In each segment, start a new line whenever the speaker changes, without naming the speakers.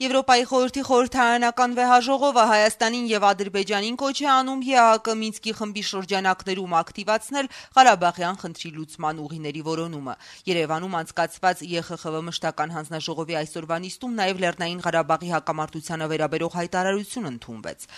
Եվրոպայի խորհրդի խորհրդարանական վեհաժողովը Հայաստանին եւ Ադրբեջանին կոչ է անում ԵԱՀԿ Մինսկի խմբի շրջանակներում ակտիվացնել Ղարաբաղյան խնդրի լուծման ուղիների որոնումը։ Երևանում անցկացված ԵԽԽՎ մշտական հանձնաժողովի այսօրվա նիստում նաեւ Լեռնային Ղարաբաղի հակամարտությանը վերաբերող հայտարարություն ընդունվեց։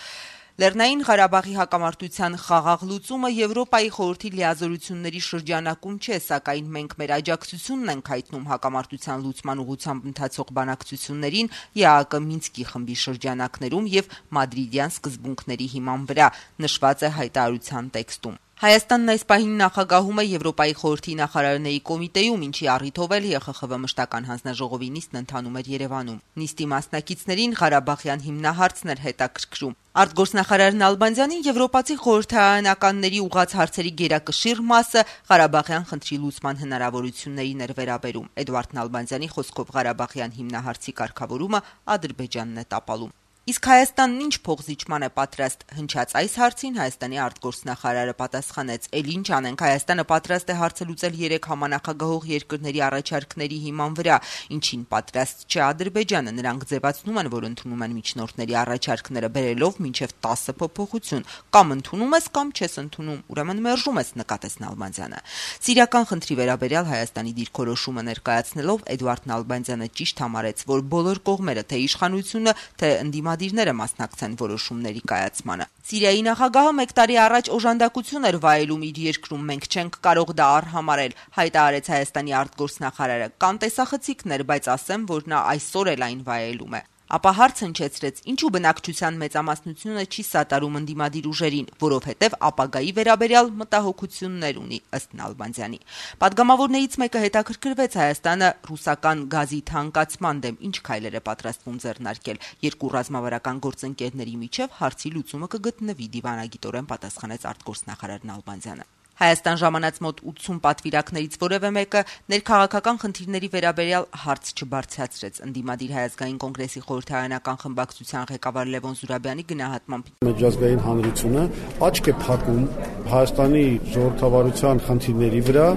Լեռնային Ղարաբաղի հակամարտության խաղաղ լուծումը Եվրոպայի խորհրդի լիազորությունների շրջանակում չէ, սակայն մենք մեր աջակցությունն ենք հայտնում հակամարտության լուծման ուղղությամբ ընթացող բանակցություններին ԵԱՀԿ Մինսկի խմբի շրջանակներում եւ մադրիդյան սկզբունքների հիման վրա, նշված է հայտարարության տեքստում։ Հայաստանն այս պահին նախագահում է Եվրոպայի խորհրդի նախարարների կոմիտեում, ինչի առիթով էլ ԵԽԽՎ մշտական հանձնաժողովի նիստն ընթանում էր Երևանում։ Նիստի մասնակիցներին Ղարաբաղյան հիմնահարցն էր հետաքրքրում։ Արտգործնախարար Նալբանդյանին եվրոպացի խորհրդարանականների ուղղած հարցերի գերակշիռ մասը Ղարաբաղյան խնդրի լուծման հնարավորություններին էր վերաբերում։ Էդվարդ Նալբանդյանի խոսքով Ղարաբաղյան հիմնահարցի կարգավորումը Ադրբեջանն է տապալում։ Իսկ Հայաստանն ինչ փոխզիջման է պատրաստ հնչած այս հարցին Հայաստանի արտգործնախարարը պատասխանեց. «Էլ ինչ անենք, Հայաստանը պատրաստ է հարցը լուծել 3 համանախագահող երկրների առաջարկների հիման վրա, ինչին պատրաստ չէ Ադրբեջանը։ Նրանք ձևացնում են, որ ընդունում են միջնորդների առաջարկները, բերելով մինչև 10 փոփոխություն։ Կամ ընդունում ես, կամ չես ընդունում, ուրեմն մերժում ես», նկատեց Նալբանդյանը։ Սիրիական խնդրի վերաբերյալ Հայաստանի դիրքորոշումը ներկայացնելով Էդվարդ Նալբանդյանը ճիշտ համարեց, որ բոլոր կողմերը, թե իշխանությունը, թե ընդդիմադիրները մասնակցեն որոշումների կայացմանը։ Սիրիայի նախագահը 1 տարի առաջ օժանդակություն էր վայելում իր երկրում, մենք չենք կարող դա արհամարել, հայտարարեց Հայաստանի արտգործնախարարը։ Կան տեսախցիկներ, բայց ասեմ, որ նա այսօր էլ այն վայելում է։ Ապա հարց հնչեցրեց, ինչու բնակչության մեծամասնությունը չի սատարում ընդդիմադիր ուժերին, որովհետև ապագայի վերաբերյալ մտահոգություններ ունի, ըստ Նալբանդյանի։ Պատգամավորներից մեկը հետաքրքրվեց Հայաստանը ռուսական գազի թանկացման դեմ ինչ քայլեր է պատրաստվում ձեռնարկել։ Երկու ռազմավարական գործընկերների միջև հարցի լուծումը կգտնվի, դիվանագիտորեն պատասխանեց արտգործնախարար Նալբանդյանը։ Հայաստան ժամանած մոտ 80 պատվիրակներից որևէ մեկը ներքաղաքական խնդիրների վերաբերյալ հարց չբարձրացրեց։ Ընդդիմադիր Հայ ազգային կոնգրեսի խորհրդարանական խմբակցության ղեկավար Լևոն Զուրաբյանի գնահատմամբ
միջազգային հանրությունը աչք է փակում Հայաստանի ժողովրդավարության խնդիրների վրա,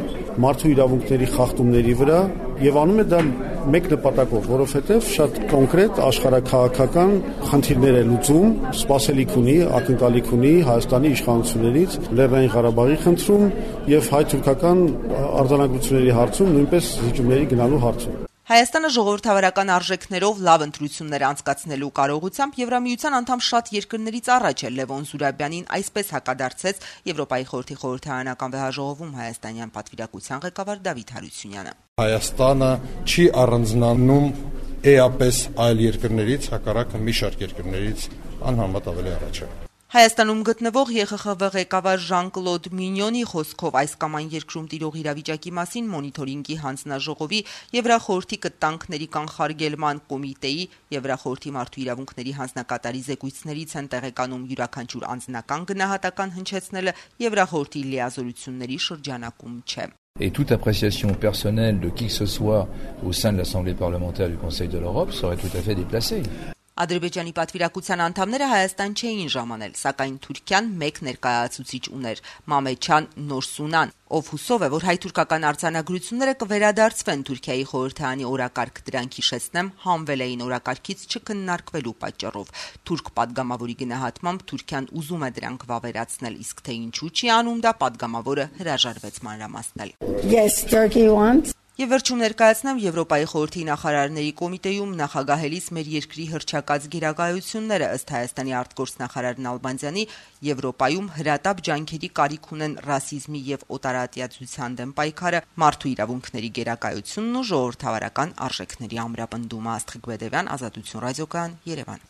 մարդու իրավունքների խախտումների վրա եւ անում է դա մեկ նպատակով, որովհետեւ շատ կոնկրետ աշխարհաքաղաքական խնդիրներ է լուծում, սպասելիք ունի, ակնկալիք ունի Հայաստանի իշխանություններից Լեռնային Ղարաբաղի խնդրում եւ հայ-թուրքական արձանագրությունների հարցում, նույնպես զիջումների գնալու հարցում։
Հայաստանը ժողովրդավարական արժեքներով լավ ընտրություններ անցկացնելու կարողությամբ Եվրամիության անդամ շատ երկրներից առաջ է։ Լևոն Զուրաբյանին այսպես հակադարձեց Եվրոպայի խորհրդի խորհրդարանական վեհաժողովում հայաստանյան պատվիրակության ղեկավար Դավիթ Հարությունյանը։
Հայաստանը չի առանձնանում էապես այլ երկրներից, հակառակը մի շարք երկրներից անհամեմատ ավելի առաջ է։
Հայաստանում գտնվող ԵԽԽՎ ղեկավար Ժան-Կլոդ Մինյոնի խոսքով այս կամ այն երկրում տիրող իրավիճակի մասին մոնիթորինգի հանձնաժողովի, Եվրախորհրդի կտանքների կանխարգելման կոմիտեի, Եվրախորհրդի մարդու իրավունքների հանձնակատարի զեկույցներից են տեղեկանում յուրաքանչյուր անձնական գնահատական հնչեցնելը Եվրախորհրդի լիազորությունների շրջանակում չէ։
Et toute appréciation personnelle de qui que ce soit au sein de l'Assemblée parlementaire du Conseil de l'Europe serait tout à fait déplacée.
Ադրբեջանի պատվիրակության անդամները Հայաստան չէին ժամանել, սակայն Թուրքիան մեկ ներկայացուցիչ ուներ՝ Մամեչան Նորսունան, ով հուսով է, որ հայ-թուրքական արձանագրությունները կվերադարձվեն Թուրքիայի խորհրդարանի օրակարգ, դրանք հիշեցնեմ հանվել էին օրակարգից չքննարկվելու պատճառով։ Թուրք պատգամավորի գնահատմամբ Թուրքիան ուզում է դրանք վավերացնել, իսկ թե ինչու չի անում դա, պատգամավորը հրաժարվեց մանրամասնել։
Yes, Turkey wants.
Եվ վերջում ներկայացնեմ Եվրոպայի խորհրդի նախարարների կոմիտեում նախագահելիս մեր երկրի հռչակած գերակայությունները, ըստ Հայաստանի արտգործնախարար Նալբանդյանի, Եվրոպայում հրատապ ջանքերի կարիք ունեն ռասիզմի եւ օտարատյացության դեմ պայքարը, մարդու իրավունքների գերակայությունն ու ժողովրդավարական արժեքների ամրապնդումը։ Աստղիկ Բեդևյան, Ազատություն ռադիոկայան, Երևան։